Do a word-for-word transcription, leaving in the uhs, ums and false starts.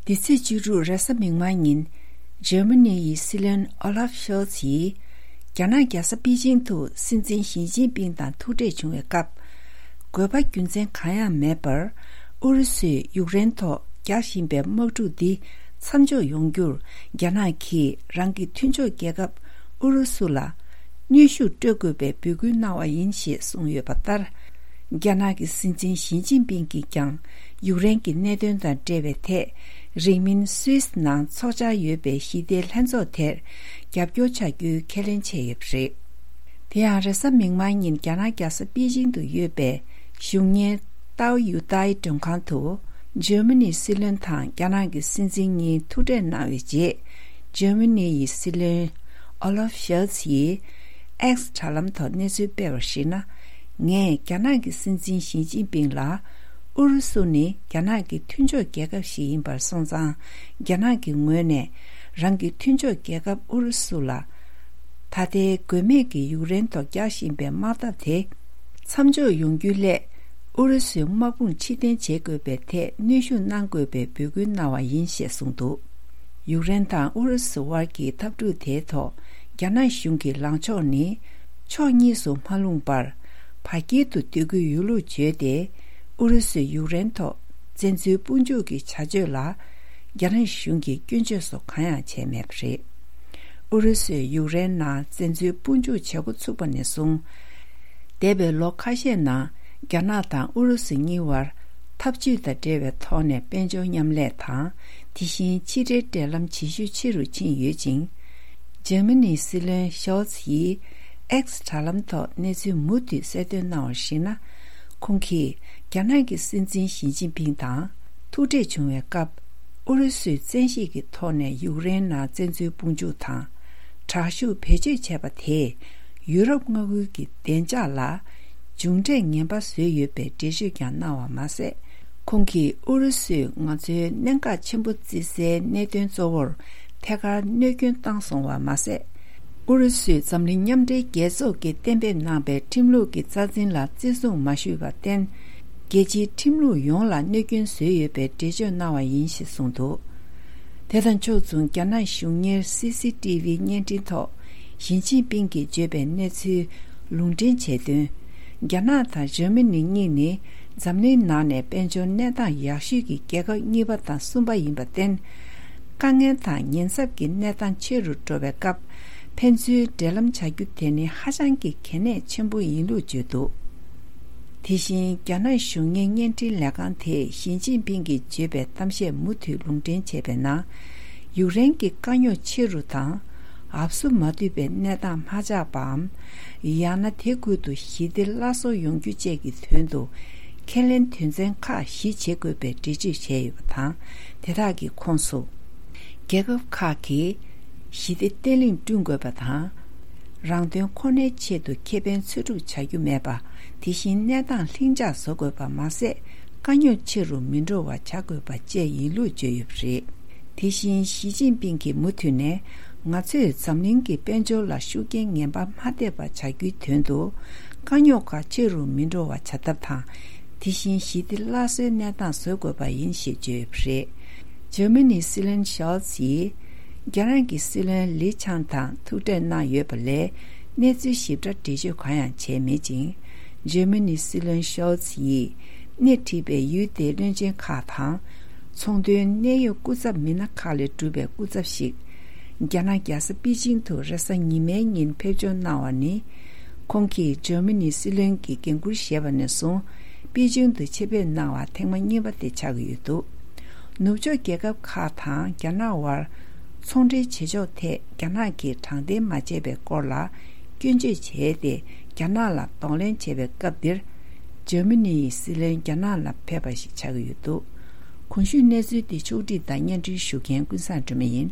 འདི་ཚེས་བཅུ་དྲུག་རེས་གཟའ་མིག་དམར་ཉིན། འཇར་མ་ནི་ཡི་སྲིད་བློན་ཨོ་ལབ་ཤོལ་ཚ་ཡིས། རྒྱ་ནག་རྒྱལ་ས་པེ་ཅིང་དུ་སྲིད་འཛིན་ཞི་ཅིན་ཕིང་དང་ཐུག་འཕྲད་བྱུང་བའི་སྐབས། དགོས་པ་རྒྱུ་མཚན་གང་ཡང་མེད་པར། ཨུ་རུ་སུས་ཡུཀ་རེན་ཐོག་རྒྱག་བཞིན་པའི་དམག་འཁྲུག་འདི་མཚམས་འཇོག་ཡོང་རྒྱུར། རྒྱ་ནག་གིས་རང་གི་མཐུན་ཕྱོགས་རྒྱལ་ཁབ་ཨུ་རུ་སུ་ལ། གནོན་ཤུགས་སྤྲོད་དགོས་པའི་འབོད་སྐུལ་གནང་བ་ཡིན་ཞེས་གསུངས་ཡོད་པ་ལྟར། རྒྱ་ནག་གི་སྲིད་འཛིན་ཞི་ཅིན་ཕིང་གིས་ཀྱང་ཡུཀ་རེན་གྱི་གནད་དོན་དང་འབྲེལ་བའི་ཐད། རིང་མིན་སུད་སི་ནང་འཚོགས་འཆར་ཡོད་པའི་ཞི་བདེའི་ལྷན་ཚོགས་དེར་རྒྱབ་སྐྱོར་བྱ་རྒྱུའི་ཁས་ལེན་བྱས་ཡོད་པ་རེད། དེ་ཡང་རེས་གཟའ་མིག་དམར་ཉིན་རྒྱ་ནག་རྒྱལ་ས་པེ་ཅིང་དུ་ཡོད་པའི་གཞུང་གཉེར་ཏའོ་ཡུ་ཏའི་མགྲོན་ཁང་དུ། འཇར་མ་ནིའི་སྲིད་བློན་དང་རྒྱ་ནག་གི་སྲིད་འཛིན་གཉིས་ཐུག་འཕྲད་གནང་བའི་རྗེས། འཇར་མ་ནི་ཡི་སྲིད་བློན་ཨོ་ལབ་ཤོལ་ཚ་ཡིས་ཨེགས་དྲ་ལམ་ཐོག་གནས་ཚུལ་སྤེལ་བར་གཞིགས་ན། ངས་རྒྱ་ནག་གི་སྲིད་འཛིན་ཞི་ཅིན་ཕིང་ལ། ཨུ་རུ་སུ་ནི་རྒྱ་ནག་གི་མཐུན་ཕྱོགས་རྒྱལ་ཁབ་ཞིག་ཡིན་པར་སོང་ཙང་། རྒྱ་ནག་གི་ངོས་ནས་རང་གི་མཐུན་ཕྱོགས་རྒྱལ་ཁབ་ཨུ་རུ་སུ་ལ། ད་ལྟའི་དགོས་མེད་ཀྱི་ཡུཀ་རེན་ཐོག་རྒྱག་བཞིན་པའི་དམག་འཐབ་དེ། མཚམས་འཇོག་ཡོང་རྒྱུའི་སླད། ཨུ་རུ་སུའི་དམག་དཔུང་ཕྱིར་འཐེན་བྱེད་དགོས་པའི་ཐད་གནོན་ཤུགས་གནང་དགོས་པའི་འབོད་སྐུལ་གནང་བ་ཡིན་ཞེས་གསུངས་འདུག་ཡུཀ་རེན་དང་ཨུ་རུ་སུ་དབར་གྱི་འཐབ་འཁྲུག་དེའི་ཐོག་རྒྱ་ནག་གཞུང་གི་ལངས་ཕྱོགས་ནི། ཕྱོགས་གཉིས་སུ་མ་ལྷུང་བར། བར་དཀྱིལ་དུ་སྡོད་ཀྱི་ཡོད་ལུགས་བརྗོད་དེ། ཨུ་རུ་སུས་ཡུཀ་རེན་ཐོག་བཙན་འཛུལ་དཔུང་འཇུག་གི་བྱ་སྤྱོད་ལ། རྒྱ་ནག་གཞུང་གིས་སྐྱོན་བརྗོད་སོགས་གང་ཡང་བྱས་མེད་པ་རེད། ཨུ་རུ་སུས་ཡུཀ་རེན་ནང་བཙན་འཛུལ་དཔུང་འཇུག་བྱེད་འགོ་ཚུགས་པ་ནས་བཟུང་། འདས་པའི་ལོ་ཁ་ཤས་ནང་རྒྱ་ནག་དང་ཨུ་རུ་སུ་གཉིས་བར་འཐབ་ཇུས་དང་འབྲེལ་བའི་ཐོག་ནས་དཔལ་འབྱོར་མཉམ་ལས་དང་། དེ་བཞིན་ཕྱི་འབྲེལ་འབྲེལ་ལམ་ཇེ་ཤུགས་ཆེ་རུ་ཕྱིན་ཡོད་ཅིང་། འཇར་མ་ནིའི་སྲིད་བློན་ཤོལ་ཚ་ཡིས་ཨེགས་དྲ་ལམ་ཐོག་གནས་ཚུལ་མུ་མཐུད་གསལ་སྟོན་གནང་བར་གཞིགས་ན། ཁོང་གིས་རྒྱ་ནག་གི་སྲིད་འཛིན་ཞི་ཅིན་ཕིང་དང་ཐུག་འཕྲད་བྱུང་བའི་སྐབས། ཨུ་རུ་སུས་བཙན་ཤེད་ཀྱི་ཐོག་ནས་ཡུཀ་རེན་ནང་བཙན་འཛུལ་དཔུང་འཇུག་དང་། དྲག་ཤུགས་བེད་སྤྱོད་བྱས་པ་དེས་ཡུ་རོབ་མངའ་ཁུལ་གྱི་བདེ་འཇགས་ལ་མཇུག་འབྲས་ངན་པ་བཟོས་ཡོད་པའི་འགྲེལ་བརྗོད་ཀྱང་གནང་བ་མ་ཟད། ཁོང་གིས་ཨུ་རུ་སུས་ང་ཚོའི་གནད་འགག་ཆེན་པོ་བརྩི་སའི་གནད་དོན་གཙོ་བོར་ཐད་ཀར་གནོད་སྐྱོན་བཏང་སོང་བ་མ་ཟད། ཨུ་རུ་སུས་འཛམ་གླིང་མཉམ་འབྲེལ་རྒྱལ་ཚོགས་ཀྱིས་གཏན་འབེབས་གནང་པའི་ཁྲིམས་ལུགས་ཀྱི་རྩ་འཛིན་ལ་བརྩི་སྲུང་མ་ཞུས་པར་བརྟེན། རྒྱལ་སྤྱིའི་ཁྲིམས་ལུགས་ཡོངས་ལ་གནོད་སྐྱོན་བཟོས་ཡོད་པའི་འགྲེལ་བརྗོད་གནང་བ་ཡིན་ཞེས་གསུངས་འདུག་དེ་དང་ཕྱོགས་མཚུངས་རྒྱ་ནག་གཞུང་གཉེར་སི་སི་ཏི་བི་བརྙན་འཕྲིན་ཐོག་ཞི་ཅིན་ཕིང་གིས་བརྗོད་པའི་གནས་ཚུལ་ལུང་འདྲེན་བྱས་དོན། རྒྱ་ནག་དང་འཇར་མ་ནི་གཉིས་ནི་འཛམ་གླིང་ནང་ནས་དཔལ་འབྱོར་གནས་སྟངས་ཡག་ཤོས་ཀྱི་རྒྱལ་ཁབ་གཉིས་པ་དང་གསུམ་པ་ཡིན་པར་བརྟེན། དཀའ་ངལ་དང་ཉེན་ཚབས་ཀྱི་གནས་སྟངས་ཆེ་རུ་འགྲོ་བའི་སྐབས། ཕན་ཚུན་འབྲེལ་ལམ་བྱ་རྒྱུ་དེ་ནི་ཧ་ཅང་གི་གལ་གནད་ཆེན་པོ་ཡིན་ལུགས་བརྗོད་འདུག་དེ་བཞིན་རྒྱ་ནག་གཞུང་གཉེར་བརྙན་འཕྲིན་ལས་ཁང་དེས་ཞི་ཅིན་ཕིང་གིས་བརྗོད་པའི་གཏམ་བཤད་མུ་མཐུད་ལུང་འདྲེན་བྱས་པའི་ནང་། ཡུཀ་རེན་གྱི་དཀའ་རྙོག་ཆེ་རུ་དང་། འབབ་སུ་མ་ཐུབ་པའི་གནས་སྟངས་མ་ཆགས་པའམ། ཡང་ན་དེ་ཁུལ་དུ་ཞི་བདེ་སླར་གསོ་ཡོང་རྒྱུ་བཅས་ཀྱི་དོན་དུ། ཁས་ལེན་དོན་ཚན་ཁག་བཞི་བྱེད་དགོས་པའི་འགྲེལ་བརྗོད་བྱས་ཡོད་པ་དང་། དེ་དག་གི་ཁོངས་སུ། རྒྱལ་ཁབ་ཁག་གིས་ཞི་བདེ་བརྟན་ལྷིང་བསྐྲུན་དགོས་པ་དང་། རང་དོན་ཁོ་ནའི་ཆེད་དུ་ཁེ་ཕན་འཚོལ་སྒྲུབ་བྱ་རྒྱུ་མེད་པ། དེ་བཞིན་གནས་སྟངས་ལྷིང་འཇགས་བཟོ་དགོས་པ་མ་ཟད། དཀའ་རྙོག་ཆེ་རུ་མི་འགྲོ་བ་བྱ་དགོས་པ་བཅས་ཡིན་ལུགས་བརྗོད་ཡོད་པ་རེད། དེ་བཞིན་ཞི་ཅིན་ཕིང་གིས་མུ་མཐུད་ནས། ང་ཚོས་འཛམ་གླིང་གི་དཔལ་འབྱོར་ལ་ཤུགས་རྐྱེན་ངན་པ་མ་ཐེབས་པ་བྱ་རྒྱུའི་དོན་དུ། དཀའ་རྙོག་ཁག་ཆེ་རུ་མི་འགྲོ་བ་བྱ་ཐབས་དང་། དེ་བཞིན་ཞི་བདེ་སླར་གསོའི་གནས་སྟངས་བཟོ་དགོས་པ་ཡིན་ཞེས་བརྗོད་ཡོད་པ་རེད། འཇར་མ་ནིའི་སྲིད་བློན་ཤོལ་ཚ་ཡིས། རྒྱ་ནག་གི་སྲིད་བློན་ལི་ཆང་དང་ཐུག་འཕྲད་གནང་ཡོད་པ་ལས། གནས་ཚུལ་ཞིབ་ཕྲ་འགྲེལ་བརྗོད་གང་ཡང་བྱས་མེད་ཅིང་། འཇར་མ་ནིའི་སྲིད་བློན་ཤོལ་ཚ་ཡིས། སྣེ་ཁྲིད་པའི་ཡུལ་དེའི་བློན་ཆེན་ཁག་དང་། ཚོང་དོན་གནད་ཡོད་སྐུ་ཚབ་མི་སྣ་ཁག་ལས་གྲུབ་པའི་སྐུ་ཚབ་ཞིག་རྒྱ་ནག་རྒྱལ་ས་པེ་ཅིང་དུ་རེས་གཟའ་ཉི་མའི་ཉིན་ཕེབས་འབྱོར་གནང་བ་ནི། ཁོང་གིས་འཇར་མ་ནིའི་སྲིད་བློན་གྱི་འགན་འཁུར་བཞེས་པ་ནས་བཟུང་། པེ་ཅིང་དུ་ཆེད་ཕེབས་གནང་བ་ཐེངས་མ་གཉིས་པ་དེ་ཆགས་ཀྱི་ཡོད་འདུག་ནུབ་ཕྱོགས་རྒྱལ་ཁབ་ཁག་དང་རྒྱ་ནག་དབར། ཚོང་འབྲེལ་བྱེད་ཕྱོགས་ཐད་རྒྱ་ནག་གིས་དྲང་བདེན་མ་བྱས་པའི་སྐོར་ལ་སྐྱོན་བརྗོད་བྱས་ཏེ། རྒྱ་ནག་ལ་གདོང་ལེན་བྱས་པའི་སྐབས་འདིར། འཇར་མ་ནི་ཡི་སྲིད་བློན་རྒྱ་ནག་ལ་ཕེབས་པ་ཞིག་ཆགས་ཀྱི་ཡོད་འདུག་གོང་ཞུས་གནས་ཚུལ་འདི་ཕྱོགས་སྒྲིག་དང་སྙན་སྒྲོན་ཞུ་མཁན་ཀུན་བཟང་སྒྲོལ་མ་ཡིན།